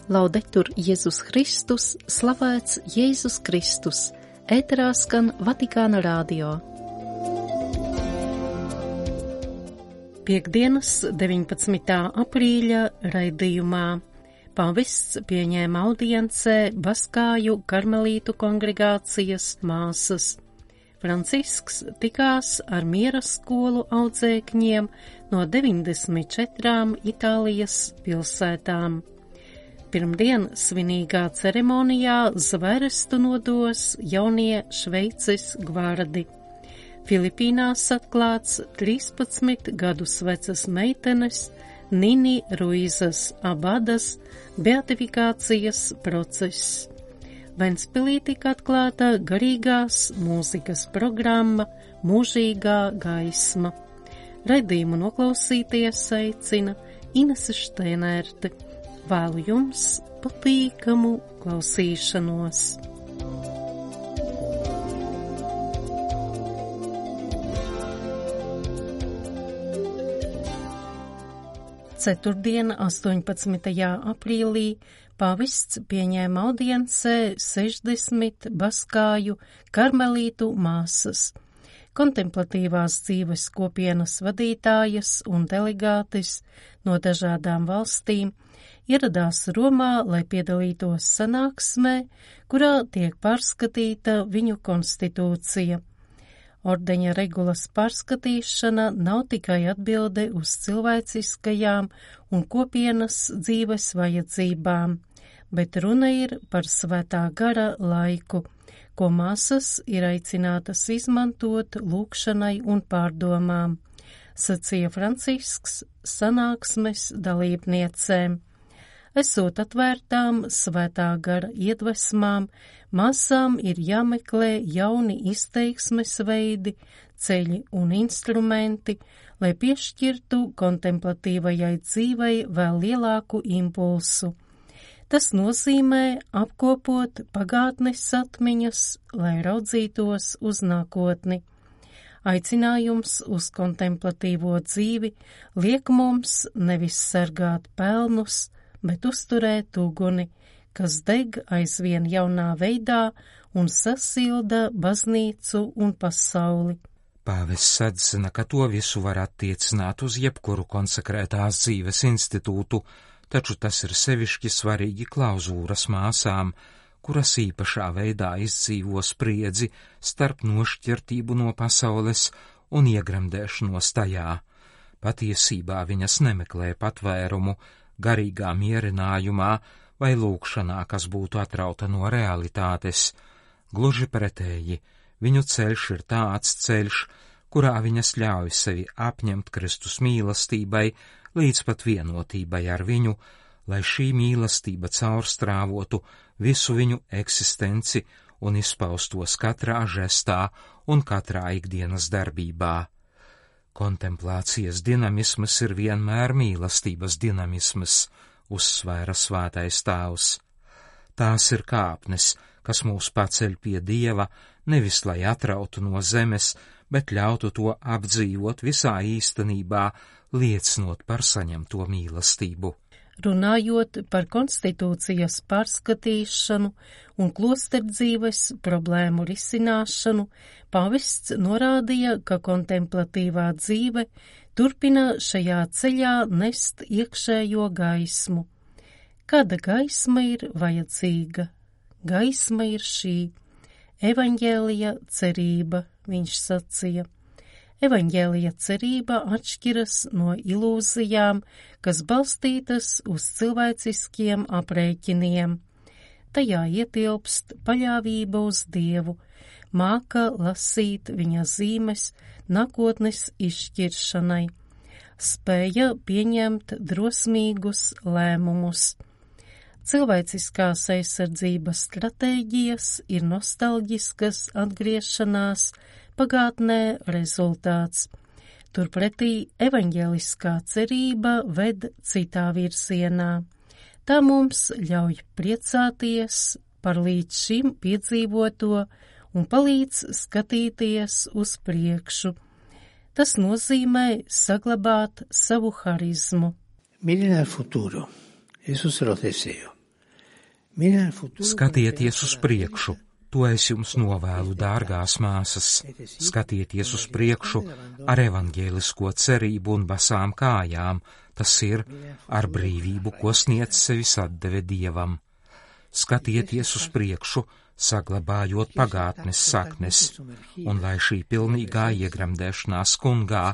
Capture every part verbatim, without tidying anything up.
Laudetur Jēzus Kristus, slavēts Jēzus Kristus, ēterā skan Vatikāna radio. Piektdienas, deviņpadsmitā aprīļa raidījumā pavests pieņēma audiencē Baskāju karmelītu kongregācijas māsas. Francisks tikās ar miera skolu audzēkņiem no deviņdesmit četrām Itālijas pilsētām. Pirmdien svinīgā ceremonijā zverestu nodos jaunie Šveices gvardi. Filipīnās atklāts trīspadsmit gadus vecas meitenes Nini Ruizas Abadas beatifikācijas process. Ventspilī tika atklāta garīgās mūzikas programma Mūžīgā gaisma. Raidījumu noklausīties aicina Inese Šteinerte. Vēlu jums patīkamu klausīšanos. Ceturtdien, astoņpadsmitajā aprīlī, pavests pieņēma audiencē sešdesmit Baskāju karmelītu māsas. Kontemplatīvās dzīves kopienas vadītājas un delegātis no dažādām valstīm ieradās Romā, lai piedalītos sanāksmē, kurā tiek pārskatīta viņu konstitūcija. Ordeņa regulas pārskatīšana nav tikai atbilde uz cilvēciskajām un kopienas dzīves vajadzībām, bet runa ir par svētā gara laiku, ko māsas ir aicinātas izmantot lūgšanai un pārdomām, sacīja Francisks sanāksmes dalībniecēm. Esot atvērtām svētā gara iedvesmām, māsām ir jāmeklē jauni izteiksmes veidi, ceļi un instrumenti, lai piešķirtu kontemplatīvajai dzīvei vēl lielāku impulsu. Tas nozīmē apkopot pagātnes atmiņas, lai raudzītos uz nākotni. Aicinājums uz kontemplatīvo dzīvi liek mums nevis sargāt pelnus, bet uzturēt uguni, kas deg aizvien jaunā veidā un sasilda baznīcu un pasauli. Pāvests atzina, ka to visu var attiecināt uz jebkuru konsekrētās dzīves institūtu, taču tas ir sevišķi svarīgi klauzūras māsām, kuras īpašā veidā izdzīvo spriedzi starp nošķirtību no pasaules un iegremdēšanos tajā. Patiesībā viņas nemeklē patvērumu garīgā mierinājumā vai lūgšanā, kas būtu atrauta no realitātes. Gluži pretēji, viņu ceļš ir tāds ceļš, kurā viņas ļauj sevi apņemt Kristus mīlestībai līdz pat vienotībai ar viņu, lai šī mīlestība caurstrāvotu visu viņu eksistenci un izpaustos katrā žestā un katrā ikdienas darbībā. Kontemplācijas dinamisms ir vienmēr mīlestības dinamisms, uzsvēra svētais tēvs. Tās ir kāpnes, kas mūs paceļ pie Dieva, nevis lai atrautu no zemes, bet ļautu to apdzīvot visā īstenībā, liecinot par saņemto mīlestību. Runājot par konstitūcijas pārskatīšanu un klosterdzīves problēmu risināšanu, pavests norādīja, ka kontemplatīvā dzīve turpina šajā ceļā nest iekšējo gaismu. Kāda gaisma ir vajadzīga? Gaisma ir šī evaņģēlija cerība, viņš sacīja. Evaņģēlija cerība atšķiras no ilūzijām, kas balstītas uz cilvēciskiem aprēķiniem. Tajā ietilpst paļāvība uz Dievu, māka lasīt viņa zīmes nākotnes izšķiršanai, spēja pieņemt drosmīgus lēmumus. Cilvēciskās aizsardzības stratēģijas ir nostalģiskas atgriešanās pagātnē rezultāts. Turpretī evaņģeliskā cerība ved citā virzienā. Tā mums ļauj priecāties par līdz šim piedzīvoto un palīdz skatīties uz priekšu. Tas nozīmē saglabāt savu harizmu. Miren al futuro, eso se los deseo. Skatieties uz priekšu, to es jums novēlu, dārgās māsas. Skatieties uz priekšu ar evaņģēlisko cerību un basām kājām, tas ir ar brīvību, ko sniedz sevis atdeve Dievam. Skatieties uz priekšu, saglabājot pagātnes saknes, un lai šī pilnīgā iegremdēšanās kungā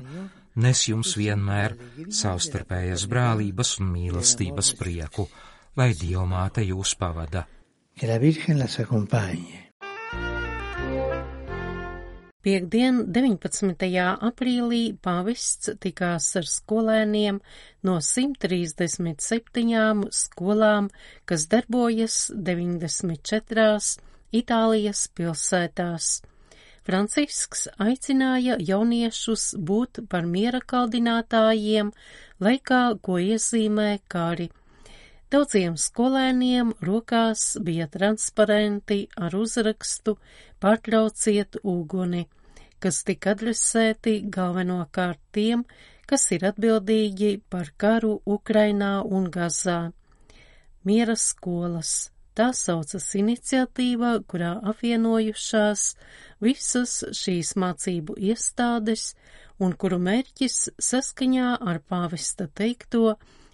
nes jums vienmēr savstarpējas brālības un mīlestības prieku, lai Dievmāte jūs pavada. Piektdien, deviņpadsmitajā aprīlī, pāvests tikās ar skolēniem no simt trīsdesmit septiņām skolām, kas darbojas deviņdesmit četrās Itālijas pilsētās. Francisks aicināja jauniešus būt par miera kaldinātājiem laikā, ko iezīmē kari. Daudziem skolēniem rokās bija transparenti ar uzrakstu "Pārtrauciet uguni", kas tika adresēti galvenokārt tiem, kas ir atbildīgi par karu Ukrainā un Gazā. Miera skolas. Tā saucas iniciatīva, kurā apvienojušās visas šīs mācību iestādes un kuru mērķis saskaņā ar pāvesta teikto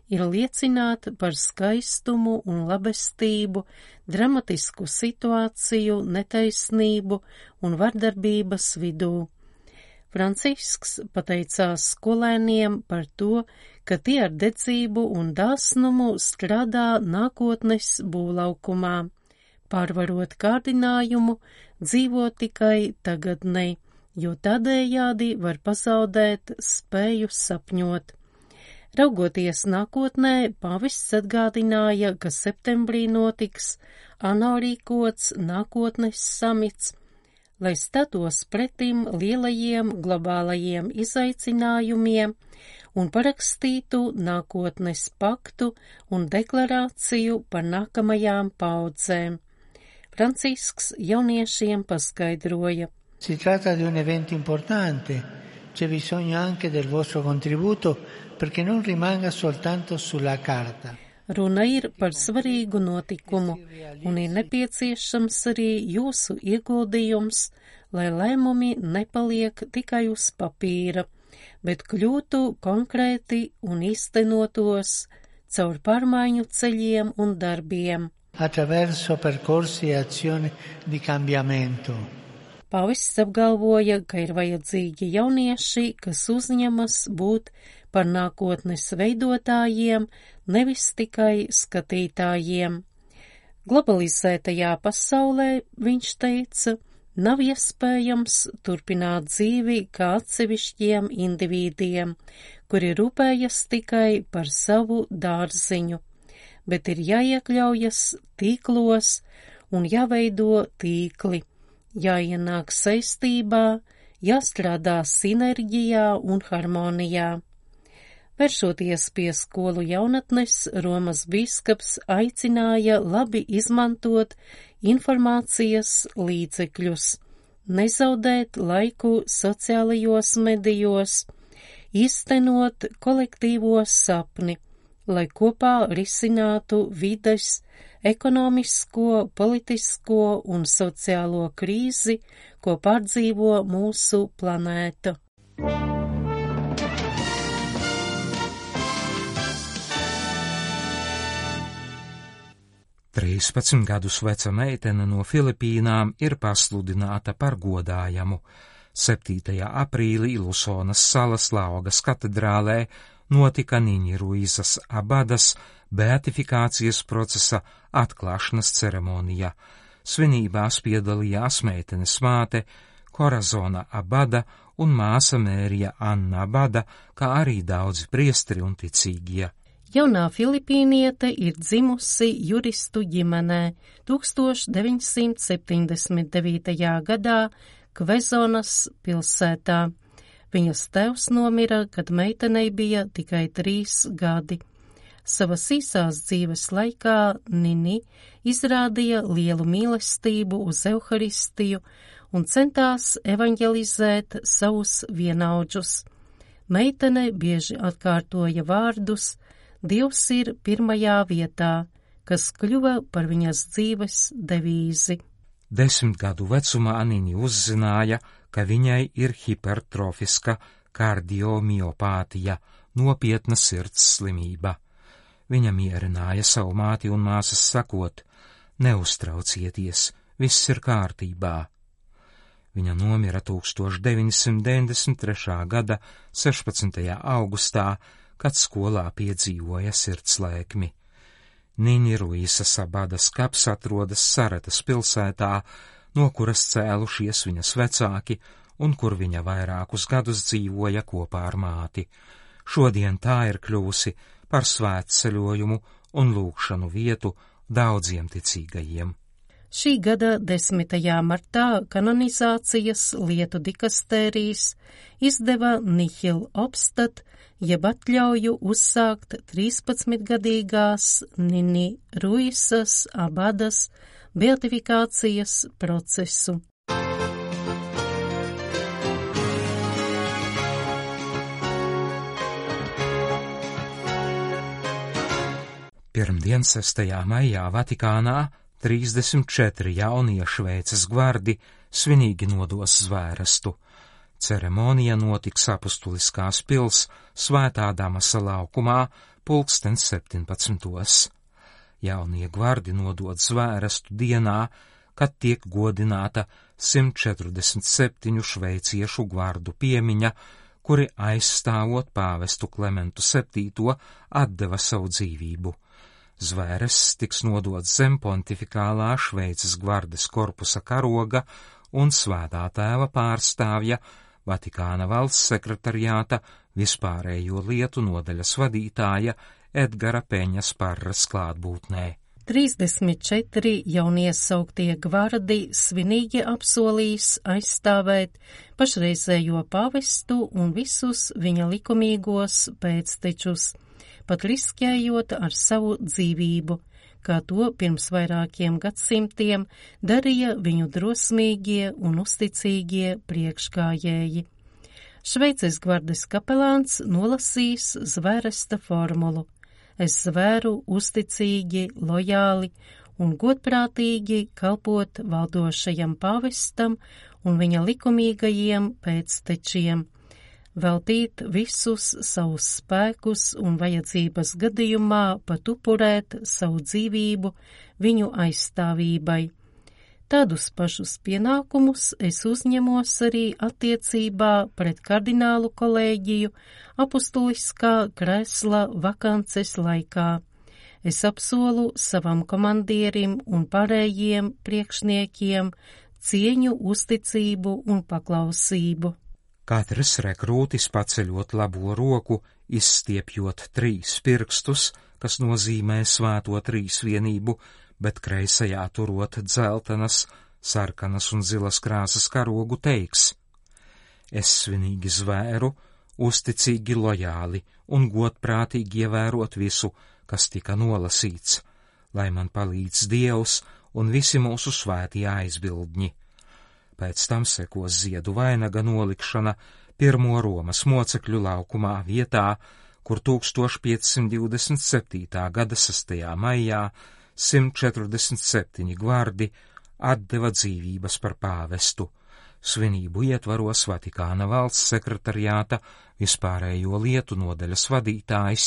ir liecināt par skaistumu un labestību, dramatisku situāciju, netaisnību un vardarbības vidū. Francisks pateicās skolēniem par to, ka tie ar dedzību un dāsnumu strādā nākotnes būvlaukumā, pārvarot kārdinājumu, dzīvo tikai tagadnē, jo tādējādi var pazaudēt spēju sapņot. Raugoties nākotnē, pāvests atgādināja, ka septembrī notiks ANO rīkots nākotnes samits, lai statos pretim lielajiem globālajiem izaicinājumiem un parakstītu nākotnes paktu un deklarāciju par nākamajām paudzēm. Francisks jauniešiem paskaidroja. Si tratta di un evento importante, c'è bisogno anche del vostro contributo perché non rimanga soltanto sulla carta. Runa ir par svarīgu notikumu, un ir nepieciešams arī jūsu ieguldījums, lai lēmumi nepaliek tikai uz papīra, bet kļūtu konkrēti un īstenotos caur pārmaiņu ceļiem un darbiem. Attraverso percorsi e azioni di cambiamento. Pāvests apgalvoja, ka ir vajadzīgi jaunieši, kas uzņemas būt par nākotnes veidotājiem, nevis tikai skatītājiem. Globalizētajā pasaulē, viņš teica, nav iespējams turpināt dzīvi kā atsevišķiem indivīdiem, kuri rūpējas tikai par savu dārziņu, bet ir jāiekļaujas tīklos un jāveido tīkli, jāienāk saistībā, jāstrādā sinerģijā un harmonijā. Vēršoties pie skolu jaunatnes, Romas bīskaps aicināja labi izmantot informācijas līdzekļus, nezaudēt laiku sociālajos medijos, īstenot kolektīvo sapni, lai kopā risinātu vides, ekonomisko, politisko un sociālo krīzi, ko pārdzīvo mūsu planēta. trīspadsmit gadus veca meitene no Filipīnām ir pasludināta par godājamu. septītajā aprīlī Lusonas salas Laugas katedrālē notika Niņa Ruizas Abadas beatifikācijas procesa atklāšanas ceremonija. Svinībās piedalījās meitenes māte Korazona Abada un māsa Mērija Anna Abada, kā arī daudzi priesteri un ticīgie. Jaunā filipīniete ir dzimusi juristu ģimenē tūkstoš deviņsimt septiņdesmit devītajā gadā Kvezonas pilsētā. Viņas tēvs nomira, kad meitenei bija tikai trīs gadi. Savas īsās dzīves laikā Nini izrādīja lielu mīlestību uz Euharistiju un centās evaņģelizēt savus vienaudžus. Meitene bieži atkārtoja vārdus: Dievs ir pirmajā vietā, kas kļuva par viņas dzīves devīzi. Desmit gadu vecumā Nini uzzināja, ka viņai ir hipertrofiska kardiomiopātija, nopietna sirds slimība. Viņa mierināja savu māti un māsas sakot: neuztraucieties, viss ir kārtībā. Viņa nomira tūkstoš deviņsimt deviņdesmit trešā gada sešpadsmitajā augustā, kad skolā piedzīvoja sirdslēkmi. Nini Ruisa Sabadas kaps atrodas Saretas pilsētā, no kuras cēlušies viņas vecāki un kur viņa vairākus gadus dzīvoja kopā ar māti. Šodien tā ir kļuvusi par svētceļojumu un lūgšanu vietu daudziem ticīgajiem. Šī gada desmitajā martā kanonizācijas lietu dikastērijas izdeva Nihil Obstat, jeb atļauju uzsākt trīspadsmitgadīgās Nini Ruisas Abadas beatifikācijas procesu. Pirmdien, sestajā maijā, Vatikānā trīsdesmit četri jaunie Šveices gvardi svinīgi nodos zvērestu. Ceremonija notiks Apustuliskās pils Svētā Damasa laukumā pulksten septiņpadsmitos. Jaunie gvardi nodod zvērestu dienā, kad tiek godināta simt četrdesmit septiņu šveiciešu gvardu piemiņa, kuri aizstāvot pāvestu Klementu septīto atdeva savu dzīvību. Zvērests tiks nodots zem pontifikālā Šveices gvardes korpusa karoga un Svētā tēva pārstāvja Vatikāna valsts sekretariāta vispārējo lietu nodaļas vadītāja Edgara Peņas Parras klātbūtnē. trīsdesmit četri jauniesauktie gvardi svinīgi apsolīs aizstāvēt pašreizējo pavestu un visus viņa likumīgos pēctečus, pat riskējot ar savu dzīvību, kā to pirms vairākiem gadsimtiem darīja viņu drosmīgie un uzticīgie priekšgājēji. Šveices gvardes kapelāns nolasīs zvēresta formulu: es zvēru uzticīgi, lojāli un godprātīgi kalpot valdošajam pāvestam un viņa likumīgajiem pēctečiem, veltīt visus savus spēkus un vajadzības gadījumā pat upurēt savu dzīvību viņu aizstāvībai. Tādus pašus pienākumus es uzņemos arī attiecībā pret kardinālu kolēģiju apustuliskā krēsla vakances laikā. Es apsolu savam komandierim un pārējiem priekšniekiem cieņu, uzticību un paklausību. Katrs rekrūtis paceļot labo roku, izstiepjot trīs pirkstus, kas nozīmē svēto trīsvienību, bet kreisajā turot dzeltenas, sarkanas un zilas krāsas karogu, teiks: es svinīgi zvēru, uzticīgi, lojāli un godprātīgi ievērot visu, kas tika nolasīts, lai man palīdz Dievs un visi mūsu svētie aizbildņi. Pēc tam sekos ziedu vainaga nolikšana pirmo Romas mocekļu laukumā vietā, kur tūkstoš piecsimt divdesmit septītā gada sestajā maijā simt četrdesmit septiņi gvardi atdeva dzīvības par pāvestu. Svinību ietvaros Vatikāna valsts sekretariāta vispārējo lietu nodaļas vadītājs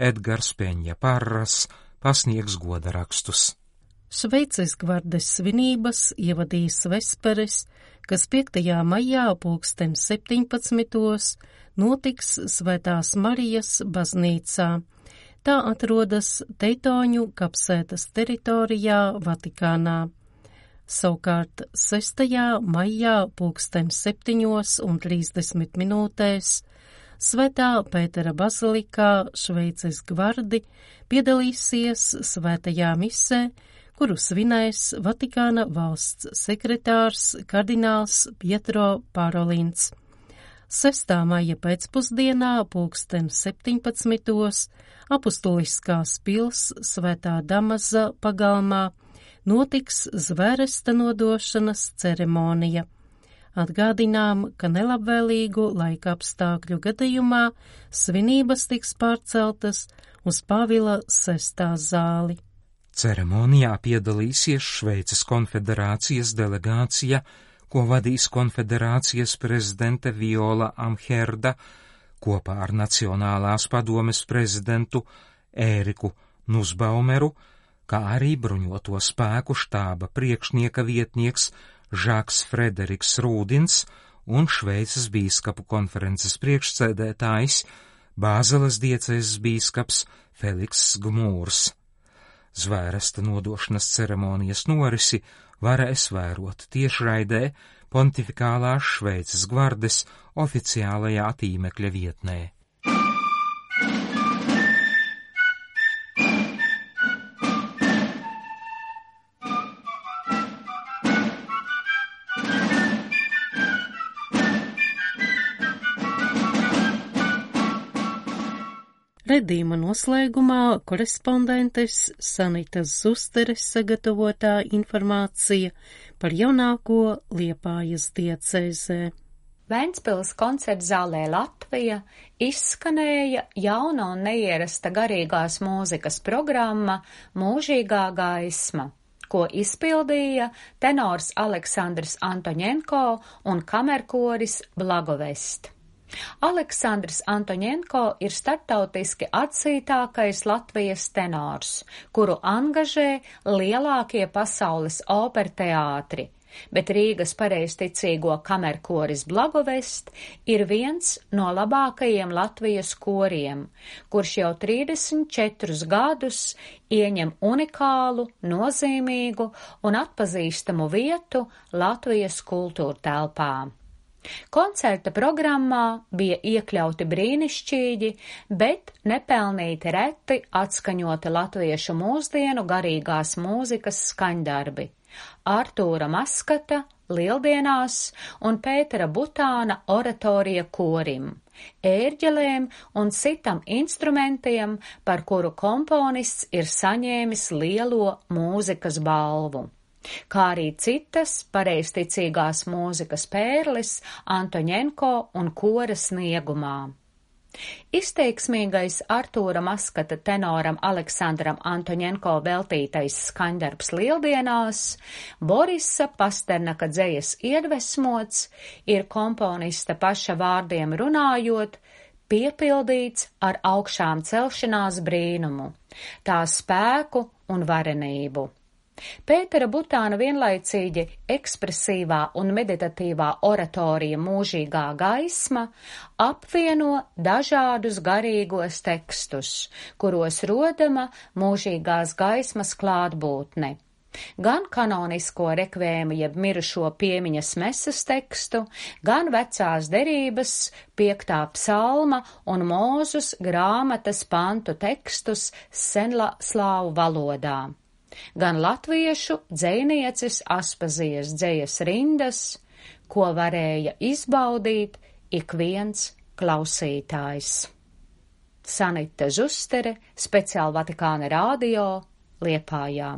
Edgars Peņa Parras pasniegs godarakstus. Šveices gvardes svinības ievadīs vesperes, kas piektajā maijā pulksten septiņpadsmitos notiks Svētās Marijas baznīcā. Tā atrodas Teitoņu kapsētas teritorijā Vatikānā. Savukārt sestajā maijā pulksten septiņos un trīsdesmit minūtēs Svētā Pētera bazilikā Šveices gvardi piedalīsies svētajā misē, kuru svinēs Vatikāna valsts sekretārs kardināls Pietro Parolins. sestā maija pēcpusdienā pulksten septiņpadsmitos Apustuliskās pils Svētā Damasa pagalmā notiks zvēresta nodošanas ceremonija. Atgādinām, ka nelabvēlīgu laika apstākļu gadījumā svinības tiks pārceltas uz Pāvila sestā zāli. Ceremonijā piedalīsies Šveices konfederācijas delegācija, ko vadīs konfederācijas prezidente Viola Amherda, kopā ar Nacionālās padomes prezidentu Ēriku Nusbaumeru, kā arī bruņoto spēku štāba priekšnieka vietnieks Žaks Frederiks Rūdins un Šveices bīskapu konferences priekšsēdētājs Bāzeles diecēzes bīskaps Feliks Gmūrs. Zvērsta nodošanas ceremonijas norisi varēs vērot tiešraidē Pontifikālās Šveices gvardes oficiālajā tīmekļa vietnē. Redījuma noslēgumā korespondentes Sanitas Zusteres sagatavotā informācija par jaunāko Liepājas diecēzē. Ventspils koncertzālē Latvija izskanēja jauna un neierasta garīgās mūzikas programma Mūžīgā gaisma, ko izpildīja tenors Aleksandrs Antoņenko un kamerkoris Blagovest. Aleksandrs Antoņenko ir starptautiski atzītākais Latvijas tenors, kuru angažē lielākie pasaules operteātri, bet Rīgas pareizticīgo kamerkoris Blagovest ir viens no labākajiem Latvijas koriem, kurš jau trīsdesmit četrus gadus ieņem unikālu, nozīmīgu un atpazīstamu vietu Latvijas kultūrtelpā. Koncerta programmā bija iekļauti brīnišķīgi, bet nepelnīti reti atskaņoti latviešu mūsdienu garīgās mūzikas skaņdarbi Artūra Maskata Lieldienās un Pētera Butāna oratorija korim, ērģelēm un citam instrumentiem, par kuru komponists ir saņēmis lielo mūzikas balvu, kā arī citas pareizticīgās mūzikas pērles Antoņenko un kora sniegumā. Izteiksmīgais Artūra Maskata tenoram Aleksandram Antoņenko veltītais skaņdarbs Lieldienās, Borisa Pasternaka dzejas iedvesmots, ir komponista paša vārdiem runājot, piepildīts ar augšām celšanās brīnumu, tā spēku un varenību. Pētera Butāna vienlaicīgi ekspresīvā un meditatīvā oratorija Mūžīgā gaisma apvieno dažādus garīgos tekstus, kuros rodama mūžīgās gaismas klātbūtne. Gan kanonisko rekvēmu jeb mirušo piemiņas mesas tekstu, gan vecās derības, piektā psalma un Mūzus grāmatas pantu tekstus senslāvu valodā. Gan latviešu dzejnieces Aspazijas dzejas rindas, ko varēja izbaudīt ik viens klausītājs. Sanita Zustere, speciāli Vatikāna radio, Liepājā.